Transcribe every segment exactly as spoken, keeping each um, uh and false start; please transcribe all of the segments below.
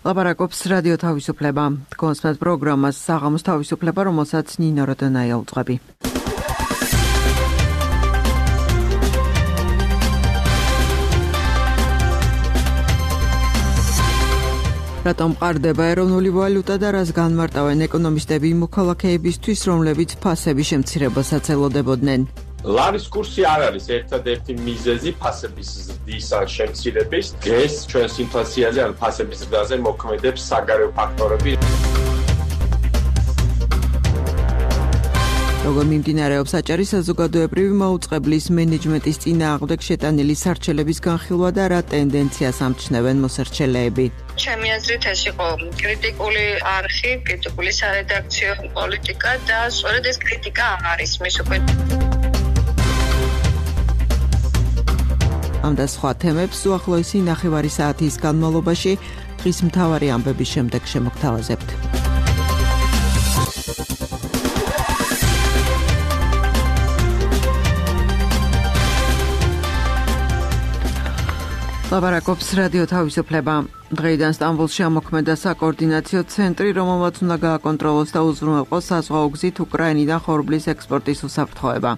ლაპარაკობს რადიო თავისუფლება. კონსპект პროგრამას საღამოს თავისუფლება, რომელსაც ნინო როდონაია უძღვები. რატომ ყარდება ეროვნული ვალუტა და რას განმარტავენ ეკონომისტები მოქალაქეებისთვის, რომლებიც ფასების შემცირებას ელოდებოდნენ? ლარის კურსი არ არის ერთადერთი მიზეზი ფასების ზრდის ან შემცირების. დღეს ჩვენს ინფლაციაზე ან ფასების ზრდაზე მოქმედებს საგარეო ფაქტორები. როგორ მიმდინარეობს აჭარის საზოგადოებრივი მაუწყებლის მენეჯმენტის წინააღმდეგ შეტანილი სარჩელების განხილვა და რა ტენდენციას ამჩნევენ მოსარჩელეები? ჩემი აზრით ეს იყო კრიტიკული არხი, კრიტიკული სარედაქციო პოლიტიკა და სწორედ ეს კრიტიკა არის მის უკვე. ამ და სხვა თემებს უახლოესი ნახევარი საათის განმავლობაში დღის მთავარი ამბების შემდეგ შემოგთავაზებთ. ლაპარაკობს რადიო თავისუფლება. დღეიდან სტამბოლში ამოქმედა საკოორდინაციო ცენტრი, რომელმაც უნდა გააკონტროლოს და უზრუნველყოს საზღვაო გზით უკრაინიდან ხორბლის ექსპორტის უსაფრთხოება.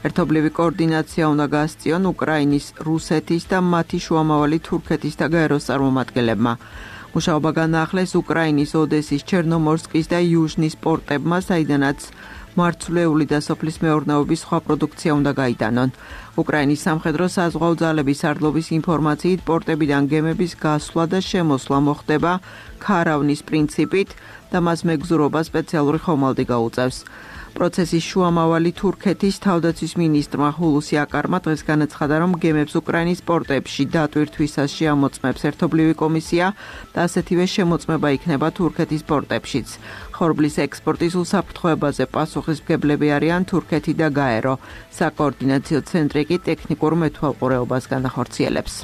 ერთობლივი კოორდინაცია უნდა გაასწიონ უკრაინის, რუსეთის და მათი შუამავალი თურქეთის და გაეროს წარმომადგენლებმა. მუშაობა განაახლეს უკრაინის ოდესის, ჩერნომორსკის და იუჟნის პორტებმა, საიდანაც მარცვლეული და სოფლის მეურნეობის სხვა პროდუქცია უნდა გაიტანონ. უკრაინის სამხედრო საზღვაო ძალების სარდლობის ინფორმაციით პორტებიდან გემების გასვლა და შემოსვლა მოხდება ქარავნის პრინციპით და მას მეგზურობა სპეციალური ხომალდი გაუწევს. პროცესის შუამავალი თურქეთის თავდაცვის მინისტრმა ჰულუსი აკარმა დღეს განაცხადა, რომ გემებს უკრაინის პორტებში დატვირთვისას შეამოწმებს ერთობლივი კომისია და ასეთივე შემოწმება იქნება თურქეთის პორტებშიც. ხორბლის ექსპორტის უსაფრთხოებაზე პასუხისმგებლები არიან თურქეთი და გაერო. საკოორდინაციო ცენტრი კი ტექნიკურ მეთვალყურეობას განახორციელებს.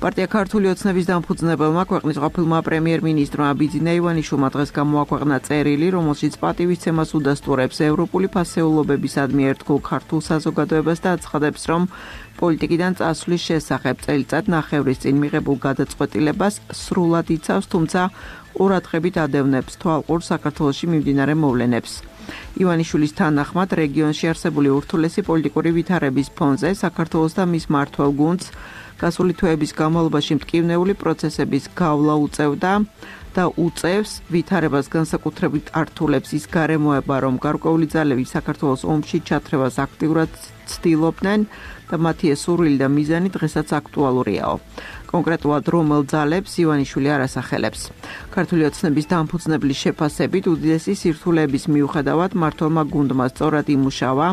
პარტია ქართული ოცნების დამფუძნებელმა ქვეყნის ყოფილმა პრემიერ-მინისტრმა ბიძინა ივანიშვილმა დღეს გამოაქვეყნა წერილი, რომელშიც პატივისცემას უდასტურებს ევროპული ფასეულობებისადმი ერთგულ ქართულ საზოგადოებას და აცხადებს, რომ პოლიტიკიდან წასვლის შესახებ წელიწად ნახევრის წინ მიღებულ გადაწყვეტილებას სრულად იცავს, თუმცა ყურადღებით ადევნებს თვალყურ საქართველოში მიმდინარე მოვლენებს. ივანიშვილის თანახმად რეგიონში არსებული ურთულესი პოლიტიკური ვითარების ფონზე საქართველოს და მის მმართველ გუნდს გასული თვეების განმავლობაში მტკივნეული პროცესების გავლა უწევდა და უწევს ვითარებას განსაკუთრებით ართულებს ის გარემოება, რომ გარკვეული ძალები საქართველოს ომში ჩათრევას აქტიურად ცდილობდნენ და მათი ეს სურვილი და მიზანი დღესაც აქტუალურიაო. კონკრეტულად რომელ ძალებს ივანიშვილი არ ასახელებს. ქართული ოცნების დამფუძნებლის შეფასებით უდიდესი სირთულეების მიუხედავად მმართველმა გუნდმა სწორად იმუშავა,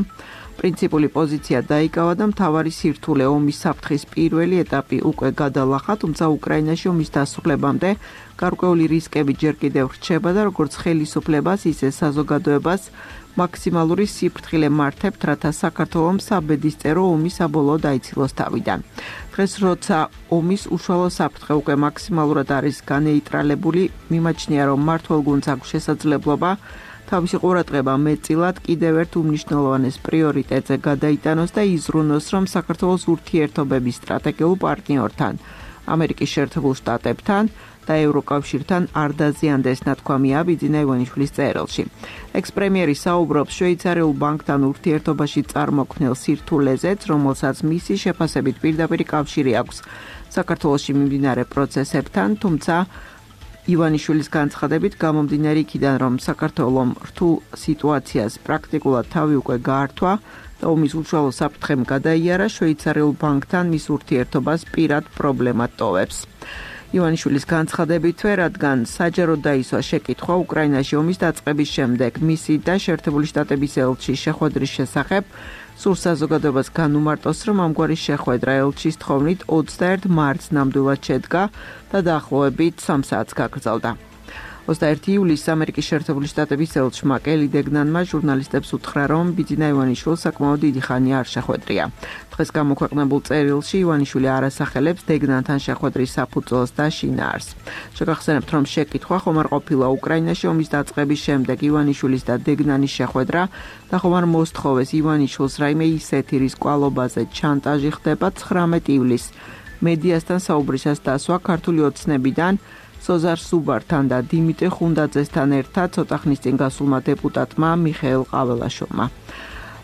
პრინციპული პოზიცია დაიკავა და მთავარი სირთულე ომის საფრთხის პირველი ეტაპი უკვე გადალახა, თუმცა უკრაინაში ომის დასრულებამდე გარკვეული რისკები ჯერ კიდევ რჩება და როგორც ხელისუფლებას, ისე საზოგადოებას მაქსიმალური სიფრთხილე მართებთ, რათა საქართველოს საბედისწერო ომი საბოლოოდ აიცილოს თავიდან. დღეს როცა ომის უშუალო საფრთხე უკვე მაქსიმალურად არის განეიტრალებული, მიმაჩნია, რომ მმართველ გუნდს აქვს შესაძლებლობა თავისი ყურადღება მეტწილად კიდევ ერთ უმნიშვნელოვანეს პრიორიტეტზე გადაიტანოს და იზრუნოს, რომ საქართველოს ურთიერთობების სტრატეგიულ პარტნიორთან, ამერიკის შეერთებულ შტატებთან და ევროკავშირთან არ დაზიანდეს, ნათქვამია ბიძინა ივანიშვილის წერილში. ექს-პრემიერი საუბრობს შვეიცარიულ ბანკთან ურთიერთობაში წარმოქმნილ სირთულეზეც, რომელსაც მისი შეფასებით პირდაპირ კავშირი აქვს საქართველოში მიმდინარე პროცესებთან, თუმცა ივანიშვილის განცხადებით გამომდინარე იქიდან, რომ საქართველოს რთულ სიტუაციას პრაქტიკულად თავი უკვე გაართვა და ომის უშუალო საფრთხემ გადაიარა, შვეიცარიულ ბანკთან მის ურთიერთობას პირად პრობლემად ტოვებს. ივანიშვილის განცხადებითვე, რადგან საჯაროდ დაისვა შეკითხვა უკრაინაში ომის დაწყების შემდეგ მისი და შეერთებული შტატების ელჩის შეხვედრის შესახებ, სურს საზოგადოებას განუმარტოს, რომ ამგვარი შეხვედრა ელჩის თხოვნით ოცდაერთი მარტს ნამდვილად შედგა და დაახლოებით სამ საათს გაგრძელდა. ოცდაერთი ივლისს ამერიკის შეერთებული შტატების ელჩმა კელი დეგნანმა ჟურნალისტებს უთხრა, რომ ბიძინა ივანიშვილს საკმაოდ დიდი ხანი არ შეხვედრია. დღეს გამოქვეყნებულ წერილში ივანიშვილი არ ასახელებს დეგნანთან შეხვედრის საფუძველს და შინაარსს. შეგახსენებთ, რომ შეკითხვა ხომ არ ყოფილა უკრაინაში ომის დაწყების შემდეგ ივანიშვილის და დეგნანის შეხვედრა და ხომ არ მოსთხოვეს ივანიშვილს რაიმე ისეთი რის კვალობაზე ჩანტაჟი ხდება ცხრამეტი ივლისს. მედიასთან საუბრისას დასვა ქართული ოცნებიდან სოზარ სუბართან და დიმიტრი ხუნდაძესთან ერთად ცოტა ხნის წინ გასულმა დეპუტატმა მიხეილ ყაველაშვილმა.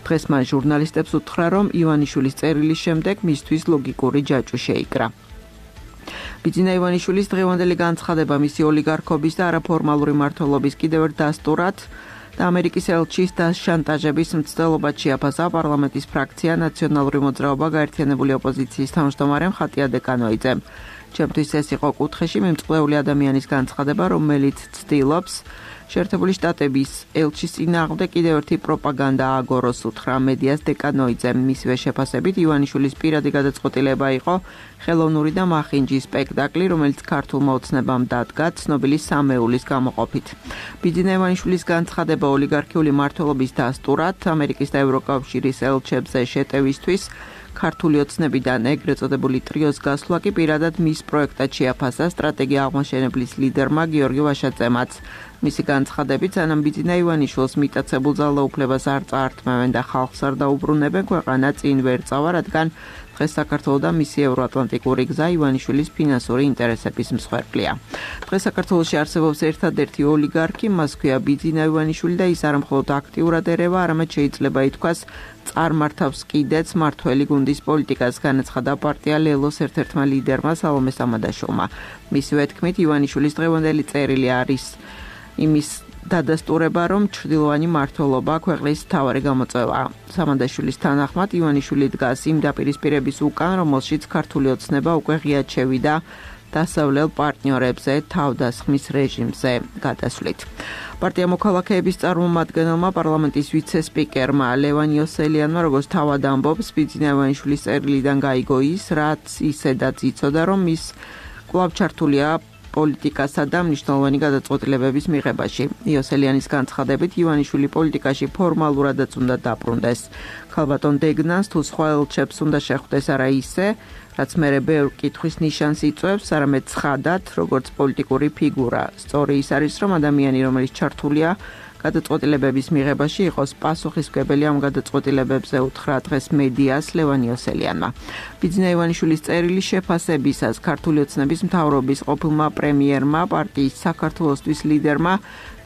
დღეს მან ჟურნალისტებს უთხრა, რომ ივანიშვილის წერილის შემდეგ მისთვის ლოგიკური ჯაჭვი შეიკრა. ბიძინა ივანიშვილის დღევანდელი განცხადება მისი ოლიგარქობის და არაფორმალური მმართველობის კიდევ ერთ დასტურად და ამერიკის ელჩის და შანტაჟების მცდელობად შეაფასა პარლამენტის ფრაქცია ნაციონალური მოძრაობა გაერთიანებული ოპოზიციის თავმჯდომარემ ხატია დეკანოიძემ. ჩემთვის ეს იყო კუთხეში მიმწყვლეული ადამიანის განცხადება, რომელიც ცდილობს შეერთებული შტატების ელჩის წინააღმდეგ კიდევ ერთი პროპაგანდა ააგოროს, უთხრა მედიას დეკანოიძემ. მისივე შეფასებით ივანიშვილის პირადი გადაწყვეტილება იყო ხელოვნური და მახინჯი სპექტაკლი, რომელიც ქართულმა ოცნებამ დადგა ცნობილი სამეულის გამოყოფით. ბიძინა ივანიშვილის განცხადება ოლიგარქიული მმართველობის დასტურად ამერიკის და ევროკავშირის ელჩებზე შეტევისთვის ქართული ოცნებიდან ეგრეთ წოდებული ტრიოს გასვლა კი პირადად მის პროექტად შეაფასა სტრატეგია აღმაშენებლის ლიდერმა გიორგი ვაშაძემაც. მისი განცხადებით, სანამ ბიძინა ივანიშვილს მიტაცებულ ძალაუფლებას არ წაართმევენ და ხალხს არ დაუბრუნებენ, ქვეყანა წინ ვერ წავა, რადგან დღეს საქართველოს და მისი ევროატლანტიკური გზა ივანიშვილის ფინანსური ინტერესების მსხვერპლია. დღეს საქართველოში არსებობს ერთადერთი ოლიგარქი, მას ქვია ბიძინა ივანიშვილი და ის არა მხოლოდ აქტიურად ერევა, არამედ შეიძლება ითქვას წარმართავს კიდეც მართველი გუნდის პოლიტიკას, განაცხადა პარტია ლელოს ერთ-ერთმა ლიდერმა სალომე სამადაშოვმა. მისივე თქმით, ივანიშვილის დღევანდელი წერილი არის იმის დადასტურება, რომ ჩრდილოვანი მმართველობა ქვეყნის მთავარი გამოწვევა. სამადაშვილის თანახმად ივანიშვილი დგას იმ დაპირისპირების უკან, რომელშიც ქართული ოცნება უკვე ღიად შევიდა დასავლელ პარტნიორებზე თავდასხმის რეჟიმზე გადასვლით. პარტია მოქალაქეების წარმომადგენელმა პარლამენტის ვიცე-სპიკერმა ლევან იოსელიანმა, როგორც თავად ამბობს, ბიძინა ივანიშვილის წერილიდან გაიგო ის, რაც ისედაც იცოდა, რომ ის კვლავ ჩართულია პოლიტიკასა და მნიშვნელოვანი გადაწყვეტილებების მიღებაში. იოსელიანის განცხადებით, ივანიშვილი პოლიტიკაში ფორმალურადაც უნდა დაბრუნდეს. ქალბატონ დეგნანს თუ სხვა ელჩებს უნდა შეხვდეს არა ისე, რაც მერე ბევრ კითხვის ნიშანს იწვევს, არამედ ცხადად, როგორც პოლიტიკური ფიგურა. სწორი ის არის, რომ ადამიანი, რომელიც ჩართულია გადაწყვეტილებების მიღებაში, იყოს პასუხისმგებელი ამ გადაწყვეტილებებზე, უთხრა დღეს მედიას ლევან იოსელიანმა. ბიძინა ივანიშვილის წერილის შეფასებისას ქართული ოცნების მთავრობის ყოფილმა პრემიერმა, პარტიის საქართველოსთვის ლიდერმა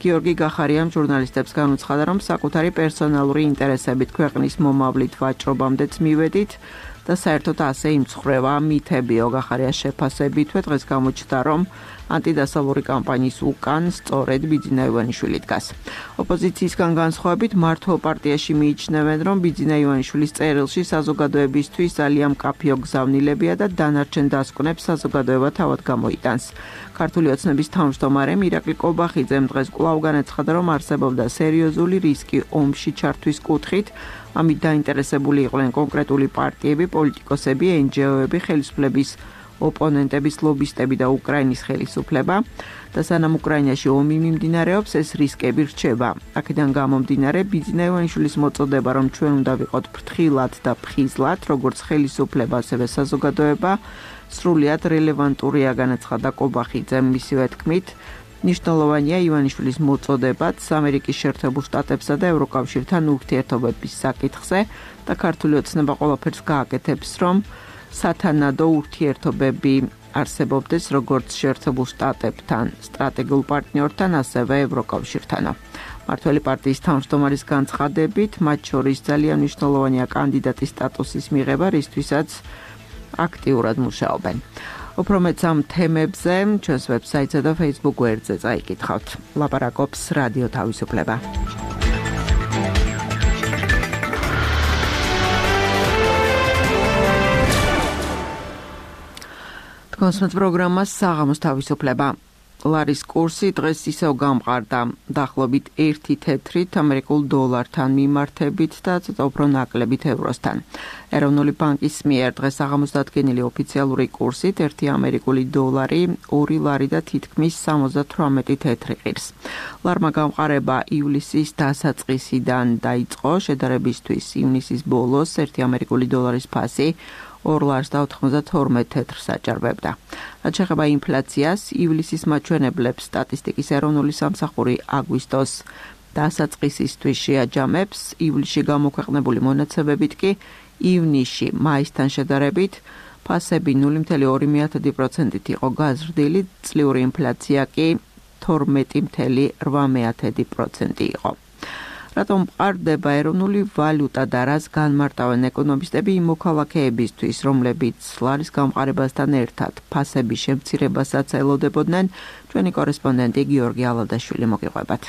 გიორგი გახარიამ ჟურნალისტებს განუცხადა, რომ საკუთარი პერსონალური ინტერესებით ქვეყნის მომავლით ვაჭრობამდეც მივედით და საერთოდ ასე იმცხრევა მითებიო. გახარიას შეფასებითვე დღეს გამოჩნდა, რომ ანტიდასავლური კამპანიის უკან სწორედ ბიძინა ივანიშვილი დგას. ოპოზიციისგან განსხვავებით, მართლ პარტიაში მიიჩნევენ, რომ ბიძინა ივანიშვილის წერილში საზოგადოებისთვის ძალიან მკაფიო გზავნილებია და დანარჩენ დასკვნებს საზოგადოება თავად გამოიტანს. ქართული ოცნების თავმჯდომარემ ირაკლი კობახიძემ დღეს კვლავ განაცხადა, რომ არსებობდა სერიოზული რისკი ომში ჩართვის კუთხით. ამით დაინტერესებული იყვნენ კონკრეტული პარტიები, პოლიტიკოსები, ენჯეოები, ხელისუფლების ოპონენტების ლობისტები და უკრაინის ხელისუფლება და სანამ უკრაინაში ომი მიმდინარეობს, ეს რისკები რჩება. აქედან გამომდინარე, ბიძინა ივანიშვილის მოწოდება, რომ ჩვენ უნდა ვიყოთ ფრთხილად და ფხიზლად, როგორც ხელისუფლება, ასევე საზოგადოება, სრულიად რელევანტურია, განაცხადა კობახიძემ. მისივე თქმით, მნიშვნელოვანია ივანიშვილის მოწოდებაც ამერიკის შეერთებულ შტატებსა და ევროკავშირთან ურთიერთობების საკითხზე და ქართული ოცნება ყველაფერს გააკეთებს, რომ სათანადო ურთიერთობები არსებობდეს როგორც შეერთებულ შტატებთან, სტრატეგიულ პარტნიორთან, ასევე ევროკავშირთანო. მართველი პარტიის თავმჯდომარის განცხადებით, მათ შორის ძალიან მნიშვნელოვანია კანდიდატის სტატუსის მიღება, რისთვისაც აქტიურად მუშაობენ. უფრო მეც ამ თემებზე ჩვენს ვებსაიტსა და Facebook გვერდზე წაიკითხავთ. ლაპარაკობს რადიო თავისუფლება. კონსულტ პროგრამას საღამოს თავისუფლება. ლარის კურსი დღეს ისევ გამყარდა, დაახლოებით ერთი თეთრით ამერიკულ დოლართან მიმართებით და ცოტა უფრო ნაკლებით ევროსთან. ეროვნული ბანკის მიერ დღეს საღამოს დადგენილი ოფიციალური კურსით ერთი ამერიკული დოლარი ორი ლარი და თითქმის სამოცდათვრამეტი თეთრი ღირს. ლარმა გამყარება ივლისის დასაწყისიდან დაიწყო, შედარებისთვის ივნისის ბოლოს ერთი ამერიკული დოლარის ფასი ორ ლარს და ოთხმოცდათორმეტ თეთრს აჭარბებდა. რაც შეეხება ინფლაციას, ივლისის მაჩვენებლებს სტატისტიკის ეროვნული სამსახური აგვისტოს დასაწყისისთვის შეაჯამებს, ივლისში გამოქვეყნებული მონაცემებით კი ივნისში მაისთან შედარებით ფასები ნული მცდელობა ორი მეთოდი პროცენტით იყო გაზრდილი, წლიური ინფლაცია კი თორმეტი მცდელობა რვა მეთოდი პროცენტი იყო. რატომ მყარდება ეროვნული ვალუტა და რას განმარტავენ ეკონომისტები იმ მოქალაქეებისთვის, რომლებიც ლარის გამყარებასთან ერთად ფასების შემცირებასაც ელოდებოდნენ, ჩვენი კორესპონდენტი გიორგი ალადაშვილი მოგიყვებათ.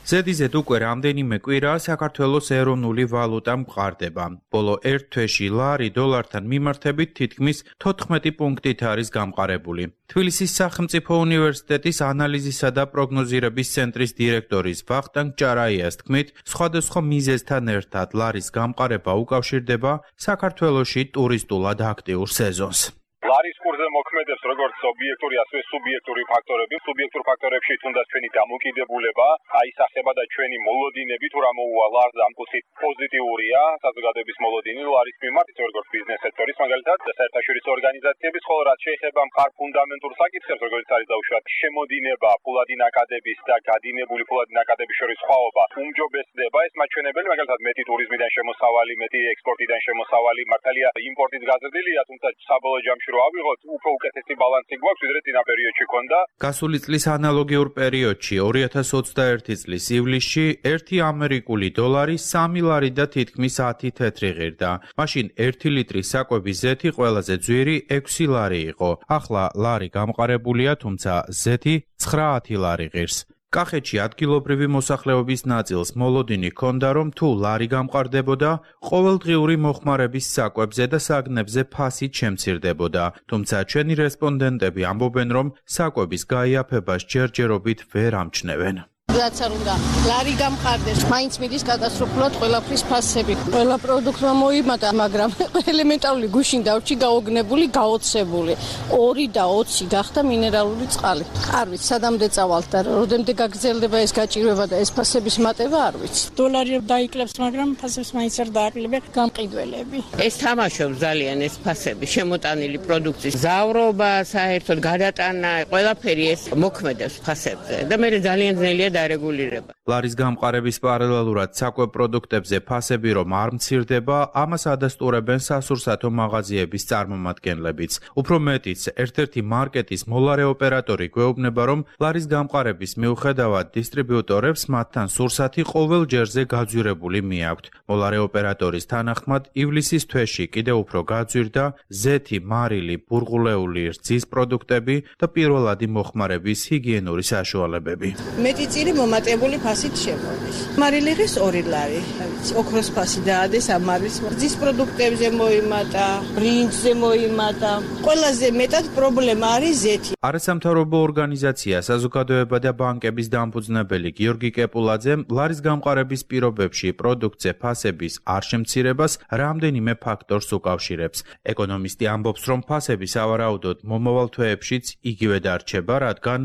ზედიზედ უკვე რამდენიმე კვირაა საქართველოს ეროვნული ვალუტა მყარდება. ბოლო ერთ თვეში ლარი დოლართან მიმართებით თითქმის თოთხმეტი პუნქტით არის გამყარებული. თბილისის სახელმწიფო უნივერსიტეტის ანალიზისა და პროგნოზირების ცენტრის დირექტორის ვახტანგ ჭარაიას თქმით, სხვადასხვა მიზეზთან ერთად ლარის გამყარება უკავშირდება საქართველოში ტურისტულად აქტიურ სეზონს. ლარის კურსზე მოქმედებს როგორც ობიექტური, ასევე სუბიექტური ფაქტორები. სუბიექტურ ფაქტორებში თუნდაც ჩვენი დამოკიდებულება, აისახება და ჩვენი მოლოდინები თუ რა მოუვა ლარს ამ კუთხით პოზიტიურია, საზოგადოების მოლოდინი ლარის მიმართ, როგორც ბიზნეს სექტორის მაგალითად, საერთაშორისო ორგანიზაციების, ხოლო რაც შეეხება მყარ ფუნდამენტურ საკითხებს, როგორც არის დაუშვათ შემოდინება, ფულადი ნაკადების და გადინებული ფულადი ნაკადების შორის სხვაობა, უმჯობესდება ეს მაჩვენებელი, მაგალითად მეტი ტურიზმიდან შემოსავალი, მეტი ექსპორტიდან შემოსავალი, მართალია იმპორტით გაზრდილია, თუმცა საბოლოო ჯამში რო ავიღოთ, უფრო უკეთესი ბალანსი გვაქვს, ვიდრე წინა პერიოდში ქონდა. გასული წლის ანალოგიურ პერიოდში ორი ათას ოცდაერთი წლის ივლისში ერთი ამერიკული დოლარი სამი ლარი და თითქმის ათი თეთრი ღირდა. მაშინ ერთი ლიტრის საკვების ზეთი ყველაზე ძვირი ექვსი ლარი იყო. ახლა ლარი გამყარებულია, თუმცა ზეთი ცხრაათი ლარი ღირს. კახეთში ადგილობრივი მოსახლეობის ნაწილს მოლოდინი ჰქონდა, რომ თუ ლარი გამყარდებოდა, ყოველდღიური მოხმარების საკვებზე და საგნებზე ფასით შემცირდებოდა. თუმცა ჩვენი რესპონდენტები ამბობენ, რომ საკვების გაიაფებას ჯერჯერობით ვერ ამჩნევენ. რაც არ უნდა ლარი გამყარდეს, მაინც მიდის კატასტროფულად ყველაფრის ფასები. ყველა პროდუქტმა მოიმატა, მაგრამ ელემენტარული გუშინ დავრჩი გაოგნებული, გაოცებული. ორი და ოცი გახდა მინერალური წყალი. არ ვიცი, სადამდე წავალთ და როდემდე გაგრძელდება ეს გაჭირვება და ეს ფასების მატება, არ ვიცი. დოლარი დაიკლებს, მაგრამ ფასებს მაინც არ დააკლებენ გამყიდველები. ეს თამაშობს ძალიან ეს ფასები, შემოტანილი პროდუქციის ზავრობა, საერთოდ გადატანა, ყველაფერი ეს მოქმედებს ფასებზე და მე ძალიან ძნელია დარეგულირება. ლარის გამყარების პარალელურად საკვებ პროდუქტებზე ფასები რომ არ მცირდება, ამას ადასტურებენ სასურსათო მაღაზიების წარმომადგენლებიც. უფრო მეტიც, ერთ-ერთი მარკეტის მოლარე ოპერატორი გვეუბნება, რომ ლარის გამყარების მიუხედავად დისტრიბიუტორებს მათთან სურსათი ყოველ ჯერზე გაძვირებული მიაქვთ. მოლარე ოპერატორის თანახმად, ივლისის თვეში კიდევ უფრო გაძვირდა ზეთი, მარილი, ბურღულეული რძის პროდუქტები და პირველადი მოხმარების ჰიგიენური საშუალებები. მეტი წილი მომატებული ფასით შემოდის. მარილიღის ორი ლარი, ოქროს ფასი დაადეს ამ მარილის. რძის პროდუქტებზე მოიმატა, ბრინჯზე მოიმატა. ყველაზე მეტად პრობლემა არის ზეთი. არასამთავრობო ორგანიზაცია საზოგადოება და ბანკების დამფუძნებელი გიორგი კეპულაძემ ლარის გამყარების პირობებში პროდუქტზე ფასების არ შემცირებას რამდენიმე ფაქტორს უკავშირებს. ეკონომისტი ამბობს, რომ ფასები სავარაუდოდ მომავალ თვეებშიც იგივე დარჩება, რადგან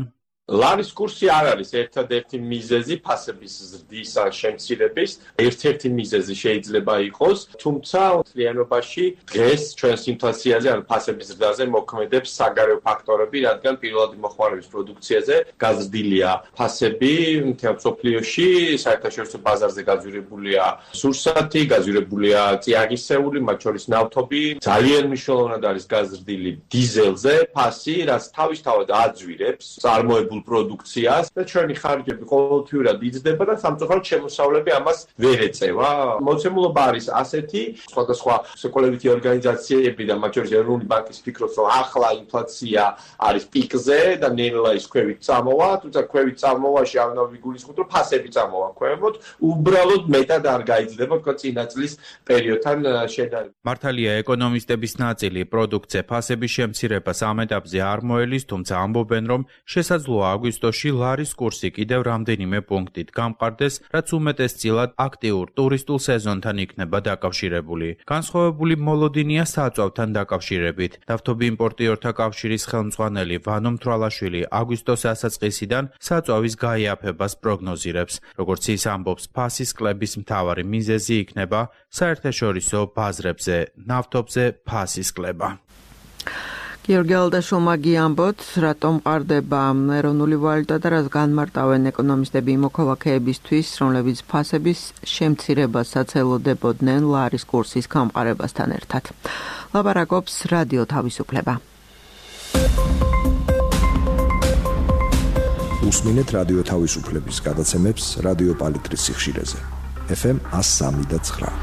ლარის კურსი არ არის ერთადერთი მიზეზი ფასების ზრდის ან შემცირების. ერთ-ერთი მიზეზი შეიძლება იყოს, თუმცა მთლიანობაში დღეს ჩვენს ინფლაციაზე ან ფასების ზრდაზე მოქმედებს საგარეო ფაქტორები, რადგან პირველადი მოხმარების პროდუქციაზე გაზრდილია ფასები მთელ მსოფლიოში, საერთაშორისო ბაზარზე გაძვირებულია სურსათი, გაძვირებულია წიაღისეული, მათ შორის ნავთობი. ძალიან მნიშვნელოვნად არის გაზრდილი დიზელზე ფასი, რაც თავისთავად აძვირებს წარმოებულ პროდუქციას და ჩვენი ხარჯები ყოველთვიურად იზრდება და სამწუხაროდ შემოსავლები ამას ვერ ეწევა. მოცემულობა არის ასეთი, სხვადასხვა სოკოლებითი ორგანიზაციები და მათ შორის ეროვნული ბანკის ფიქრობს, რომ ახლა ინფლაცია არის პიკზე და ნელა ის ქვევით წამოვა, თუმცა ქვევით წამოვაში არ უნდა ვიგულისხმოთ, რომ ფასები წამოვა ქვემოთ, უბრალოდ მეტად არ გაიზრდება თქო წინა წლის პერიოდთან შედარებით. მართალია ეკონომისტების ნაწილი პროდუქტზე ფასების შემცირებას ამ ეტაპზე არ მოელის, თუმცა ამბობენ, რომ შესაძლოა აგვისტოში ლარის კურსი კიდევ რამდენიმე პუნქტით გამყარდეს, რაც უმეტესწილად აქტიურ ტურისტულ სეზონთან იქნება დაკავშირებული. განსხვავებული მოლოდინია საწვავთან დაკავშირებით. ნავთობი იმპორტიორთა კავშირის ხელმძღვანელი ვანო მთვრალაშვილი აგვისტოს დასაწყისიდან საწვავის გაიაფებას პროგნოზირებს. როგორც ის ამბობს, ფასის კლების მთავარი მიზეზი იქნება საერთაშორისო ბაზრებზე ნავთობზე ფასის კლება. გიორგი ალადაშვილმა გიამბოთ, რატომ მყარდება ეროვნული ვალუტა და რას განმარტავენ ეკონომისტები მოქალაქეებისთვის, რომლებიც ფასების შემცირებასაც ელოდებოდნენ ლარის კურსის გამყარებასთან ერთად. ლაპარაკობს რადიო თავისუფლება. უსმინეთ რადიო თავისუფლების გადაცემებს რადიო პალიტრის სიხშირეზე. ეფ ემ one oh three და nine.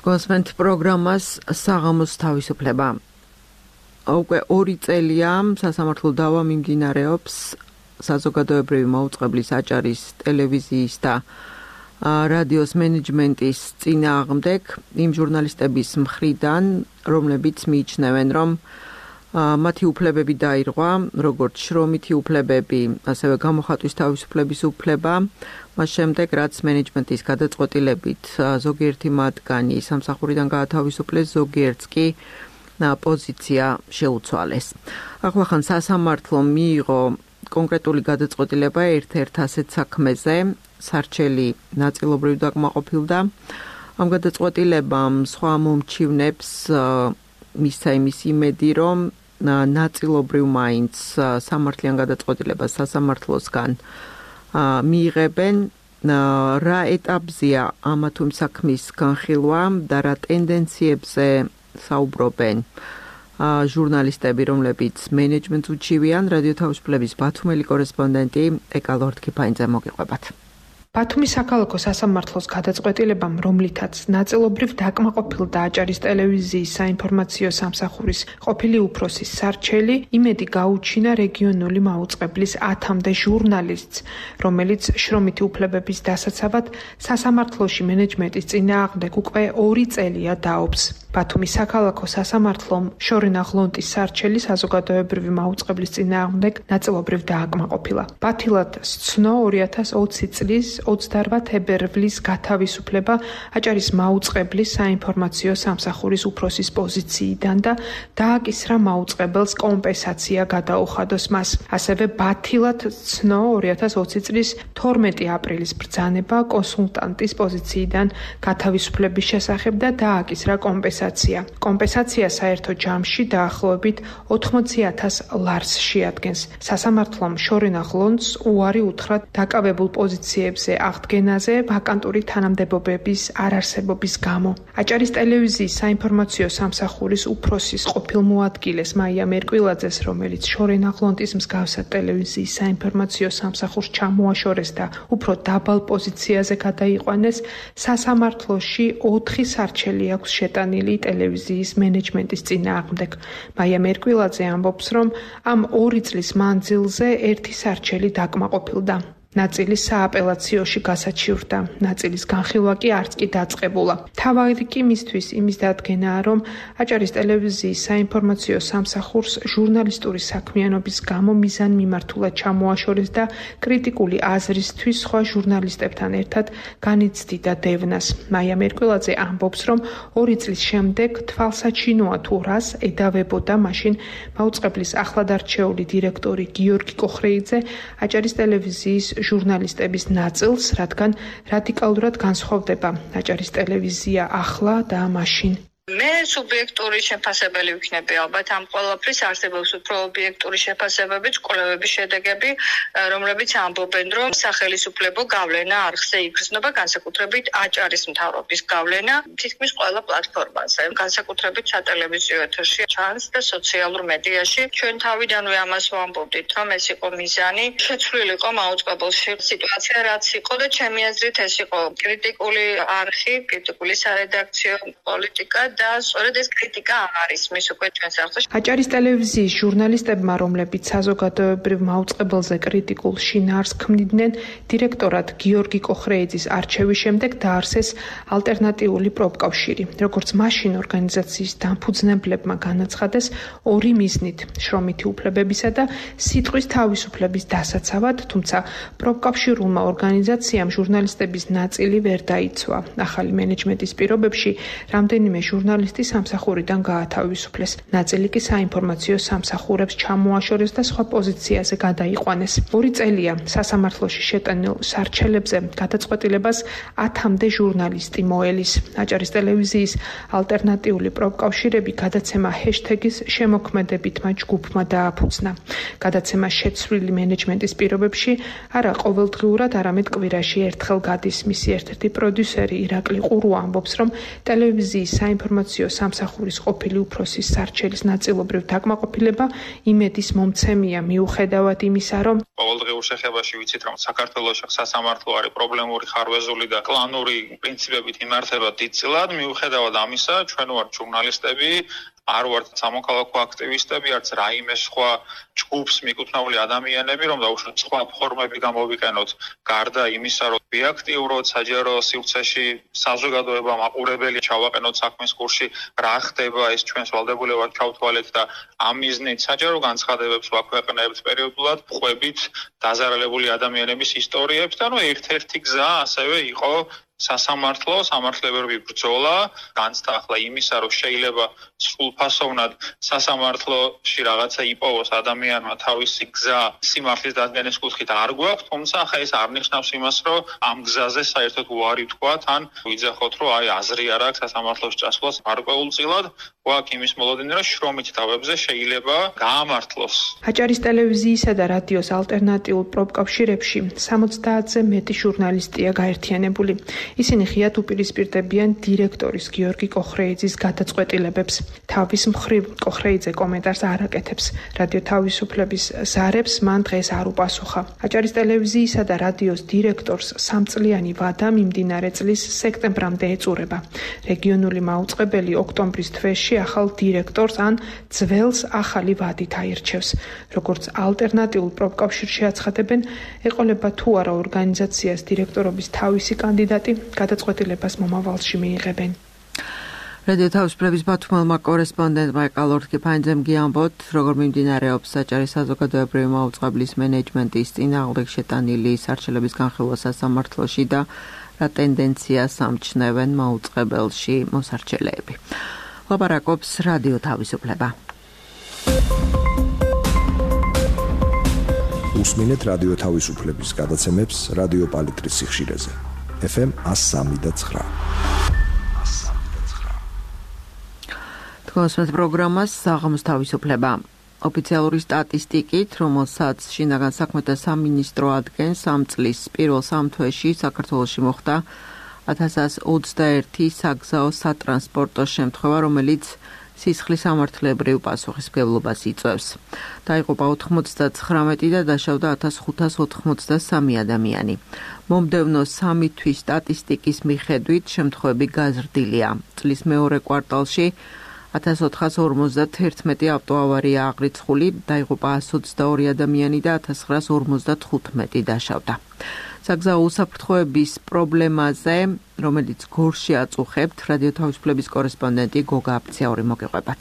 გოსმენთ პროგრამას საღამოს თავისუფლება. უკვე ორი წელია სასამართლო დავა მიმდინარეობს საზოგადოებრივი მაუწყებლის აჭარის ტელევიზიის და რადიოს მენეჯმენტის წინააღმდეგ იმ ჟურნალისტების მხრიდან, რომლებიც მიიჩნევენ, რომ მათი უფლებები დაირღვა, როგორც შრომითი უფლებები, ასევე გამოხატვის თავისუფლების უფლება, მას შემდეგ, რაც მენეჯმენტის გადაწყვეტილებით ზოგიერთი მათგანი სამსახურიდან გაათავისუფლეს, ზოგიერთს კი პოზიცია შეუცვალეს. ახლახან სასამართლომ მიიღო კონკრეტული გადაწყვეტილება ერთ-ერთ ასეთ საქმეზე, სარჩელი ნაწილობრივ დაკმაყოფილდა. ამ გადაწყვეტილებამ სხვა მომჩივნებს მისცა იმის იმედი, რომ ნაწილობრივ მაინც სამართლიან გადაწყვეტილებას სასამართლოსგან მიიღებენ, რა ეტაპზეა ამა თუ იმ საქმის განხილვა და რა ტენდენციებზე საუბრობენ ჟურნალისტები, რომლებიც მენეჯმენტს უჩივიან. რადიო თავისუფლების ბათუმელი კორესპონდენტი ეკა ლორდ-კიფაინძე მოგიყვებათ. ბათუმის საქალაქო სასამართლოს გადაწყვეტილებამ, რომლითაც ნაწილობრივ დაკმაყოფილდა აჭარის ტელევიზიის საინფორმაციო სამსახურის ყოფილი უფროსის სარჩელი, იმედი გაუჩინა რეგიონული მაუწყებლის ათამდე ჟურნალისტს, რომელიც შრომითი უფლებების დასაცავად სასამართლოში მენეჯმენტის წინააღმდეგ უკვე ორი წელია დაობს. ბათუმის საქალაქო სასამართლომ შორენა ღლონტის სარჩელი საზოგადოებრივი მაუწყებლის წინააღმდეგ ნაწილობრივ დააკმაყოფილა. ბათილად სცნო ორი ათას ოცი წლის ოცდაოთხ თებერვლის გათავისუფლება აჭარის მაუწყებლის საინფორმაციო სამსახურის უფროსის პოზიციიდან და დააკისრა მაუწყებელს კომპენსაცია გადაუხადოს მას. ასევე ბათილად სცნო ორი ათას ოცი წლის თორმეტი აპრილის ბრძანება კონსულტანტის პოზიციიდან გათავისუფლების შესახებ და დააკისრა კომპენსაცია. კომპენსაცია საერთო ჯამში დაახლოებით ოთხმოცი ათას ლარს შეადგენს. სასამართლომ შორენა ღლონტს უარი უთხრა დაკავებულ პოზიციებზე აღდგენაზე ვაკანტური თანამდებობების არარსებობის გამო. აჭარის ტელევიზიის საინფორმაციო სამსახურის უფროსის ყოფილ მოადგილეს მაია მერკვილაძეს, რომელიც შორენა ღლონტის მსგავსად ტელევიზიის საინფორმაციო სამსახურს ჩამოაშორეს და უფრო დაბალ პოზიციაზე გადაიყვანეს, სასამართლოში ოთხი სარჩელი აქვს შეტანილი ტელევიზიის მენეჯმენტის წინააღმდეგ. მაია მერკვილაძე ამბობს, რომ ამ ორი წლის მანძილზე ერთი სარჩელი დაკმაყოფილდა. ნაწილი სააპელაციოში გასაჩივრდა, ნაწილის განხილვა კი არც კი დაწყებულა. თავი კი მისთვის იმის დადგენაა, რომ აჭარის ტელევიზიის საინფორმაციო სამსახურს ჟურნალისტური საქმიანობის გამო მიზანმიმართულად ჩამოაშორეს და კრიტიკული აზრისთვის სხვა ჟურნალისტებთან ერთად განიცდიდა დევნას. მაია მერკვილაძე ამბობს, რომ ორი წლის შემდეგ თვალსაჩინოა თუ რას ედავებოდა მაშინ მაუწყებლის ახლადარჩეული დირექტორი გიორგი კოხრეიძე აჭარის ტელევიზიის ჟურნალისტების ნაწილს, რადგან რადიკალურად განსხვავდება აჭარის ტელევიზია ახლა და მაშინ. მე სუბიექტური შეფასებელი ვიქნები ალბათ ამ ყველაფრის არსებობს უფრო ობიექტური შეფასებები, კვლევების შედეგები, რომლებიც ამბობენ, რომ სახელისუფლებო გავლენა არხზე იგრძნობა, განსაკუთრებით აჭარის მთავრობის გავლენა თითქმის ყველა პლატფორმაზე, განსაკუთრებით სატელევიზიო ეთერში ჩანს და სოციალურ მედიაში. ჩვენ თავიდანვე ამას ვამბობდით, რომ ეს იყო მიზანი, შეცვლილიყო მაუწყებელში სიტუაცია, რაც იყო და ჩემი აზრით ეს იყო კრიტიკული არხი, კრიტიკული სარედაქციო პოლიტიკა და სწორედ ეს კრიტიკა არის მის უკვე ჩვენს არხში. აჭარის ტელევიზიის ჟურნალისტებმა, რომლებიც საზოგადოებრივ მაუწყებელზე კრიტიკულ შინაარსს ქმნიდნენ, დირექტორად გიორგი კოხრეიძის არჩევის შემდეგ დაარსეს ალტერნატიული პროფკავშირი. როგორც მაშინ ორგანიზაციის დამფუძნებლებმა განაცხადეს ორი მიზნით: შრომითი უფლებებისა და სიტყვის თავისუფლების დასაცავად, თუმცა პროფკავშირულმა ორგანიზაციამ ჟურნალისტების ნაწილი ვერ დაიცვა. ახალი მენეჯმენტის პირობებში რამდენიმე ჟურნალისტი ჟურნალისტი სამსახურიდან გაათავისუფლეს. ნაწილი კი საინფორმაციო სამსახურებს ჩამოაშორეს და სხვა პოზიციაზე გადაიყვანეს. ორი წელია სასამართლოში შეტანილ სარჩელებზე გადაწყვეტილებას ათამდე ჟურნალისტი მოელის. აჭარის ტელევიზიის ალტერნატიული პროფკავშირები გადაცემა ჰეშთეგის შემოქმედებითმა ჯგუფმა დააფუძნა. გადაცემა შეცვლილი მენეჯმენტის პირობებში არა ყოველდღიურად, არამედ კვირაში ერთხელ გადის. მისი ერთ-ერთი პროდიუსერი ირაკლი ყურუა ამბობს, რომ ტელევიზიის საინფორმაციო სამსახურის ყოფილი უფროსის სარჩელის ნაწილობრივ დაკმაყოფილება იმედის მომცემია, მიუხედავად იმისა, რომ ყოველდღიურ შეხებაში ვიცით, რომ საქართველოს სასამართლო არის პრობლემური, ხარვეზული და კლანური პრინციპებით იმართება დიდწილად, მიუხედავად ამისა, ჩვენ ვართ ჟურნალისტები, არ ვართ სამოქალაქო აქტივისტები, არც რაიმე სხვა ჯგუფს მიკუთვნეული ადამიანები, რომ დაუშვათ სხვა ფორმები გამოვიყენოთ, გარდა იმისა, რომ ბიაქტიუროთ საჯარო სივრცეში საზოგადოება მაყურებელი ჩავაყენოთ საქმის კურსში, რა ხდება, ეს ჩვენს ვალდებულებად ჩავთვალეთ და ამ მიზნით საჯარო განცხადებებს ვაქვეყნებთ პერიოდულად, ყვებით დაზარალებული ადამიანების ისტორიებს და ნუ ერთ-ერთი გზა ასევე იყო სასამართლო, სამართლებრივი ბრძოლა, განცდა ახლა იმისა, რომ შეიძლება სრულფასოვნად სასამართლოში რაღაცა იპოვოს ადამიანმა თავისი გზა სიმართლის დადგენის კუთხით არ გვაქვს, თუმცა ახლა ეს არ ნიშნავს იმას, რომ ამ გზაზე საერთოდ უარი ვთქვათ, ან ვიძახოთ, რომ აი აზრი არ აქვს სასამართლოში წასვლას გარკვეულწილად, გვაქვს იმის მოლოდინი, რომ შრომით თავებზე შეიძლება გაამართლოს. აჭარის ტელევიზიისა და რადიოს ალტერნატიულ პროფკავშირებში სამოცდაათზე მეტი ჟურნალისტია გაერთიანებული. ისინი ღიად უპირისპირდებიან დირექტორის გიორგი კოხრეიძის გადაწყვეტილებებს. თავის მხრივ კოხრეიძე კომენტარს არ აკეთებს. რადიო თავისუფლების ზარებს მან დღეს არ უპასუხა. აჭარის ტელევიზიისა და რადიოს დირექტორს სამწლიანი ვადა მიმდინარე წლის სექტემბრამდე ეწურება. რეგიონული მაუწყებელი ოქტომბრის თვეში ახალ დირექტორს ან ძველს ახალი ვადით აირჩევს. როგორც ალტერნატიულ პროფკავშირში აცხადებენ, ეყოლება თუ არა ორგანიზაციას დირექტორობის თავისი კანდიდატი, გადაწყვეტილებას მომავალში მიიღებენ. რადიო თავისუფლების ბათუმელმა კორესპონდენტმა ეკალორთკიფანიძემ გიამბოთ, როგორ მიმდინარეობს აჭარის საზოგადოებრივი მაუწყებლის მენეჯმენტის წინააღმდეგ შეტანილი სარჩელების განხილვა სასამართლოში და რა ტენდენციას ამჩნევენ მაუწყებელში მოსარჩელეები. ლაპარაკობს რადიო თავისუფლება. უსმინეთ რადიო თავისუფლების გადაცემებს რადიო პალიტრის სიხშირეზე. ეფ ემ one oh three point nine. თქვენს პროგრამას საღამოს თავისუფლება. ოფიციალური სტატისტიკით, რომელსაც შინაგან საქმეთა სამინისტრო ადგენს, ამ წლის პირველ სამ თვეში საქართველოში მოხდა ათას ოცდაერთი საგზაო სატრანსპორტო შემთხვევა, რომელიც სისხლის სამართლებრივ პასუხისმგებლობას იწვევს. დაიღუპა ოთხმოცდათხრამეტი და დაშავდა ათას ხუთას ოთხმოცდასამი ადამიანი. მომდევნო სამი თვის სტატისტიკის მიხედვით შემთხვევები გაზრდილია. წლის მეორე კვარტალში ათას ოთხას ორმოცდაათერთმეტი ავტოავარია აღრიცხული, დაიღუპა ასი ოცდაორი ადამიანი და ათას ცხრაას ორმოცდათხუთმეტი დაშავდა. საგზაო უსაფრთხოების პრობლემაზე, რომელიც გორში აწუხებთ, რადიო თავისუფლების კორესპონდენტი გოგა აფციური მოგიყვებათ.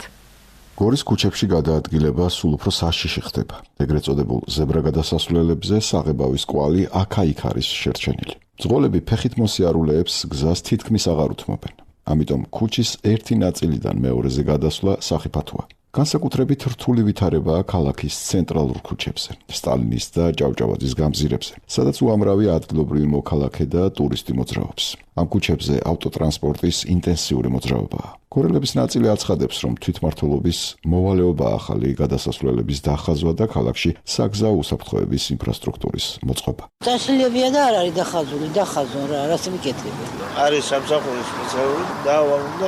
გორის ქუჩებში გადაადგილება სულ უფრო საშიში ხდება. ეგრეთ წოდებულ ზებრა გადასასვლელებზე საღებავის კვალი აქა-იქ არის შერჩენილი. მძღოლები ფეხით მოსიარულეებს გზას თითქმის აღარ უთმობენ. ამიტომ ქუჩის ერთი ნაწილიდან მეორეზე გადასვლა სახიფათოა. განსაკუთრებით რთული ვითარებაა ქალაქის ცენტრალურ ქუჩებზე, სტალინის და ჭავჭავაძის გამზირებზე, სადაც უამრავი ადგილობრივი მოქალაქე და ტურისტი მოძრაობს. ამ ქუჩებზე ავტოტრანსპორტის ინტენსიური მოძრაობაა. გორელების ნაწილი აცხადებს, რომ თვითმმართველობის მოვალეობა ახალი გადასასვლელების დახაზვა და ქალაქში საგზაო უსაფრთხოების ინფრასტრუქტურის მოწყობა. წაშლიებია და არ არის დახაზული, დახაზო რა, რას მიკეთებია? არის სამსახურის სპეციალური და უნდა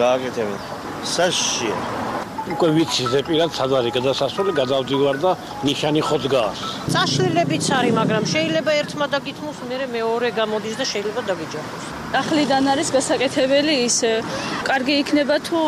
გააკეთებინათ. საშიშია. უკვე ვიცი ზეპირად სად არის გადასასვლელი, გადავდივარ და ნიშანი ხო დგას. წაშლილებიც არის, მაგრამ შეიძლება ერთმა დაგითმოს, მერე მეორე გამოდის და შეიძლება დაგიჯახოს. ახლიდან არის გასაკეთებელი ის, კარგი იქნება თუ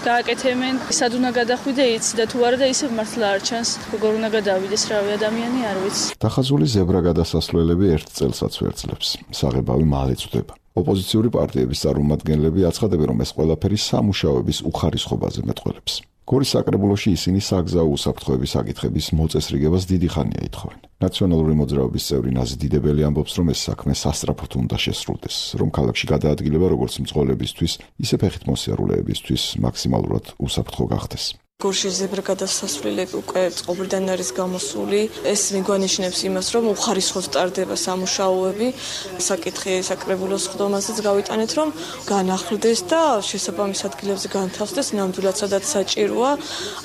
გააკეთებენ, სად უნდა გადახვიდე იცი და თუ არა და ისევ მართლა არ ჩანს, როგორ უნდა გადავიდეს რავი ადამიანი არ ვიცი. დახაზული ზებრა გადასასვლელები ერთ წელსაც ვერძლებს. საღებავი მალე წვდება. ოპოზიციური პარტიების წარმომადგენლები აცხადებენ, რომ ეს ყველაფერი სამუშაოების უხარისხობაზე მეტყველებს. გორის საკრებულოში ისინი საგზაო უსაფრთხოების საკითხების მოწესრიგებას დიდი ხანია ითხოვენ. ნაციონალური მოძრაობის წევრი ნაზი დიდებელი ამბობს, რომ ეს საქმე სასწრაფოდ უნდა შესრულდეს, რომ ქალაქში გადაადგილება როგორც მძღოლებისთვის, ისე ფეხით მოსიარულეებისთვის მაქსიმალურად უსაფრთხო გახდეს. გორში ზებრა გადასასვლელები უკვე წყობრიდან არის გამოსული. ეს მიგვანიშნებს იმას, რომ უხარისხოდ ტარდება სამუშაოები. საკითხი საკრებულოს ხდომაზეც გავიტანეთ, რომ განახლდეს და შესაბამის ადგილებზე განთავსდეს, ნამდვილად სადაც საჭიროა.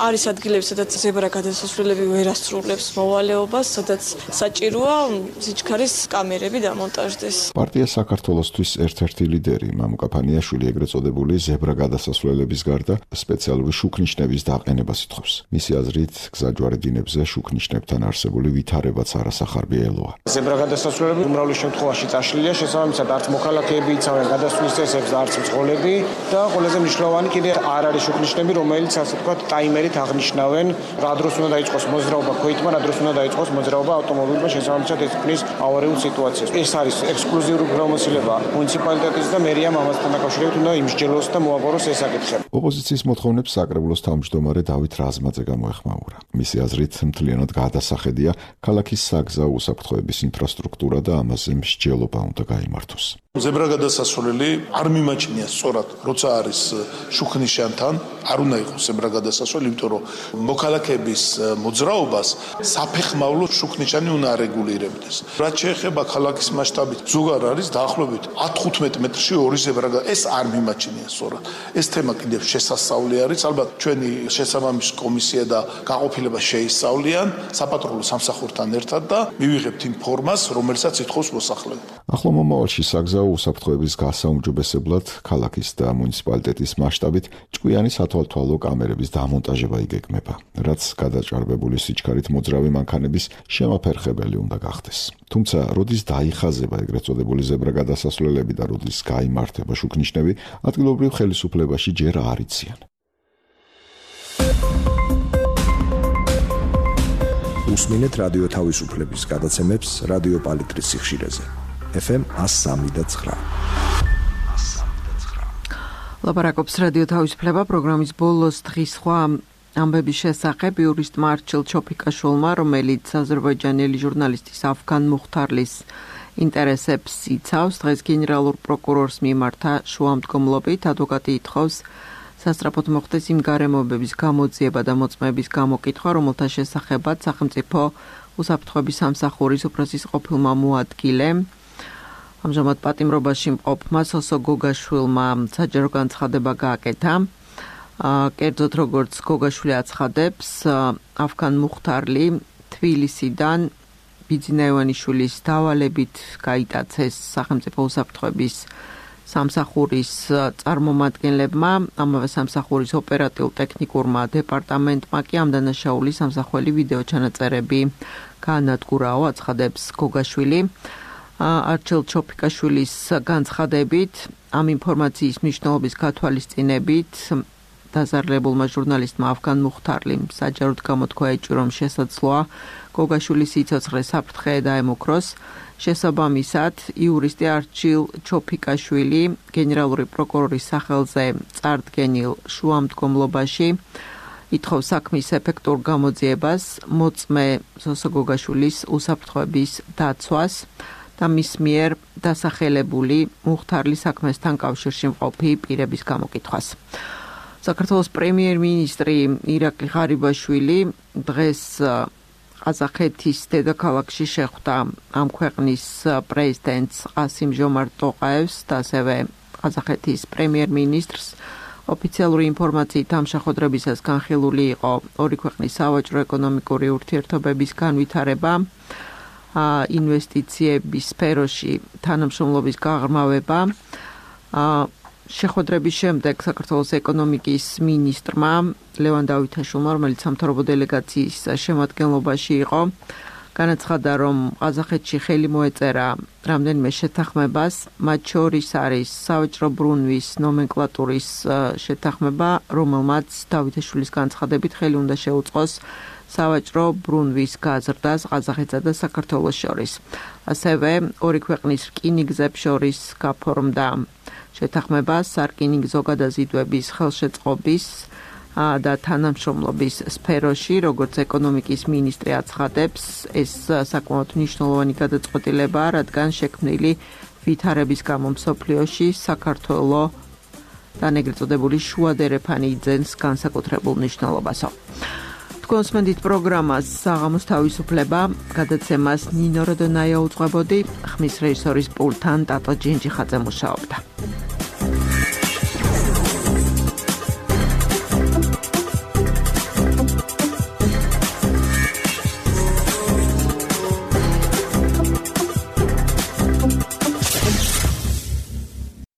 არის ადგილები, სადაც ზებრა გადასასვლელები ვერ ასრულებს მოვალეობას, სადაც საჭიროა სიჩქარის კამერები დამონტაჟდეს. პარტია საქართველოსთვის ერთ-ერთი ლიდერი მამუკა ფანიაშვილი ეგრეთ წოდებული ზებრა გადასასვლელების გარდა სპეციალური შუქნიშნების და ყენებას ითხოვს. მისი აზრით, გზაჯვარე დინებზე შუქნიშნებთან არსებული ვითარებაც არასახარბიელოა. ზებრა გადასასვლელები უმრავლეს შემთხვევაში წაშლილია, შესაბამისად არც მოქალაქეები იცავენ გადასვლის წესებს და არც მძღოლები და ყველაზე მნიშვნელოვანი კიდე არ არის შუქნიშნები, რომელიც ასე ვთქვათ ტაიმერით აღნიშნავენ, რა დროს უნდა დაიწყოს მოძრაობა ქვეითმა, რა დროს უნდა დაიწყოს მოძრაობა ავტომობილმა, შესაბამისად ეს ქმნის ავარიულ სიტუაციას. ეს არის ექსკლუზიური უფლებამოსილება მუნიციპალიტეტის და მერიამ ამასთან დაკავშირებით უნდა იმსჯელოს და მოაგვაროს ეს საკითხი. ოპოზიციის მოთხოვნებს საკრებულოს თავმჯდომარე დავით რაზმაძე გამოეხმაურა. მისი აზრით, მთლიანად გადასახედია ქალაქის საგზაო უსაფრთხოების ინფრასტრუქტურა და ამაზე მსჯელობა უნდა გაიმართოს. ზებრა გადასასვლელი არ მიმაჩნია სწორად, როცა არის შუქნიშანთან, არ უნდა იყოს ზებრა გადასასვლელი, იმიტომ რომ მოქალაქეების მოძრაობას საფეხმავლო შუქნიშანი უნდა არეგულირებდეს. რაც შეეხება ქალაქის მასშტაბით, ზოგადად არის დაახლოებით ათ-ხუთმეტ მეტრში ორი ზებრა, ეს არ მიმაჩნია სწორად. ეს თემა კიდევ შესასწავლი არის, ალბათ ჩვენი შესაბამის კომისია და გაყოფილება შეისწავლიან საპატრულო სამსახურთან ერთად და მივიღებთ იმ ფორმას, რომელსაც ითხოვს მოსახლეობა. ახლო მომავალში საგზაო უსაფრთხოების გასაუმჯობესებლად ქალაქის და მუნიციპალიტეტის მასშტაბით ჭკვიანი სათვალთვალო კამერების დამონტაჟება იგეგმება, რაც გადაჭარბებული სიჩქარით მოძრავი მანქანების შემაფერხებელი უნდა გახდეს. თუმცა, როდის დაიხაზება ეგრეთ წოდებული ზებრა გადასასვლელები და როდის გაიმართება შუქნიშნები, ადგილობრივ ხელისუფლებაში ჯერ არ იციან. უსმინეთ რადიო თავისუფლების გადაცემებს რადიო პალიტრის სიხშირეზე. ეფ ემ one oh three point nine. ლაპარაკობს რადიო თავისუფლება პროგრამის ბოლოს დღის სხვა ამბების შესახებ იურისტმა არჩილ ჩოფიკაშვილმა, რომელიც აზერბაიჯანელი ჟურნალისტის ავგან მუხთარლის ინტერესებს იცავს, დღეს გენერალურ პროკურორს მიმართა შუამდგომლობით. ადვოკატი ითხოვს სასწრაფოდ მოხდეს იმ გარემოებების გამოძიება და მოწმეების გამოკითხვა, რომელთა შესახებაც სახელმწიფო უსაფრთხოების სამსახურის უფროსის ყოფილმა მოადგილე. ამჟამად პატიმრობაში მყოფმა სოსო გოგაშვილმა საჯარო განცხადება გააკეთა. კერძოდ როგორც გოგაშვილი აცხადებს, ავგან მუხთარლი თბილისიდან ბიძინა ივანიშვილის დავალებით გაიტაცეს სახელმწიფო უსაფრთხოების სამსახურის წარმომადგენლებმა, ამავე სამსახურის ოპერატიულ-ტექნიკურმა დეპარტამენტმა კი ამ დანაშაულის სამსახველი ვიდეო ჩანაწერები გაანადგურაო, აცხადებს გოგაშვილი. არჩილ ჩოფიკაშვილის განცხადებით, ამ ინფორმაციის მნიშვნელობის გათვალისწინებით დაზარალებულმა ჟურნალისტმა ავგან მუხთარლიმ საჯაროდ გამოთქვა ეჭვი, რომ შესაძლოა გოგაშვილის სიცოცხლე საფრთხე დაემუქროს. შესაბამისად, იურისტი არჩილ ჩოფიკაშვილი გენერალური პროკურორის სახელზე წარდგენილ შუამდგომლობაში ითხოვს საქმის ეფექტურ გამოძიებას, მოწმე სოსო გოგაშვილის უსაფრთხოების დაცვას და მის მიერ დასახელებული მუხთარლის საქმესთან კავშირში მყოფი პირების გამოკითხვას. საქართველოს პრემიერ-მინისტრი ირაკლი ღარიბაშვილი დღეს ყაზახეთის დედაქალაქში შეხვდა ამ ქვეყნის პრეზიდენტს ყასიმ ჟომართ ტოყაევს და ასევე ყაზახეთის პრემიერ-მინისტრს. ოფიციალური ინფორმაციით ამ შეხვედრებისას განხილული იყო ორი ქვეყნის სავაჭრო-ეკონომიკური ურთიერთობების განვითარება, ინვესტიციების სფეროში თანამშრომლობის გაღრმავება. შეხვედრების შემდეგ საქართველოს ეკონომიკის მინისტრმა ლევან დავითაშვილმა, რომელიც სამთავრობო დელეგაციის შემადგენლობაში იყო, განაცხადა, რომ ყაზახეთში ხელი მოეწერა რამდენიმე შეთანხმებას, მათ შორის არის სავაჭრო ბრუნვის ნომენკლატურის შეთანხმება, რომელმაც დავითაშვილის განცხადებით ხელი უნდა შეუწყოს სავაჭრო ბრუნვის გაზრდას ყაზახეთსა და საქართველოს შორის. ასევე ორი ქვეყნის რკინიგზებს შორის გაფორმდა შეთანხმება სარკინიგზო გადაზიდვების ხელშეწყობის და თანამშრომლობის სფეროში, როგორც ეკონომიკის მინისტრი აცხადებს, ეს საკმაოდ მნიშვნელოვანი გადაწყვეტილებაა, რადგან შექმნილი ვითარების გამო მსოფლიოში საქართველოს და ეგრეთ წოდებული შუა დერეფანი იძენს განსაკუთრებულ მნიშვნელობასო. თქვენს მენდით პროგრამას საღამოს თავისუფლება გადაცემას ნინო როდონაია უძღვებოდი, ხმის რეჟისორის პულტთან ტატო ჯინჯიხაძე მუშაობდა.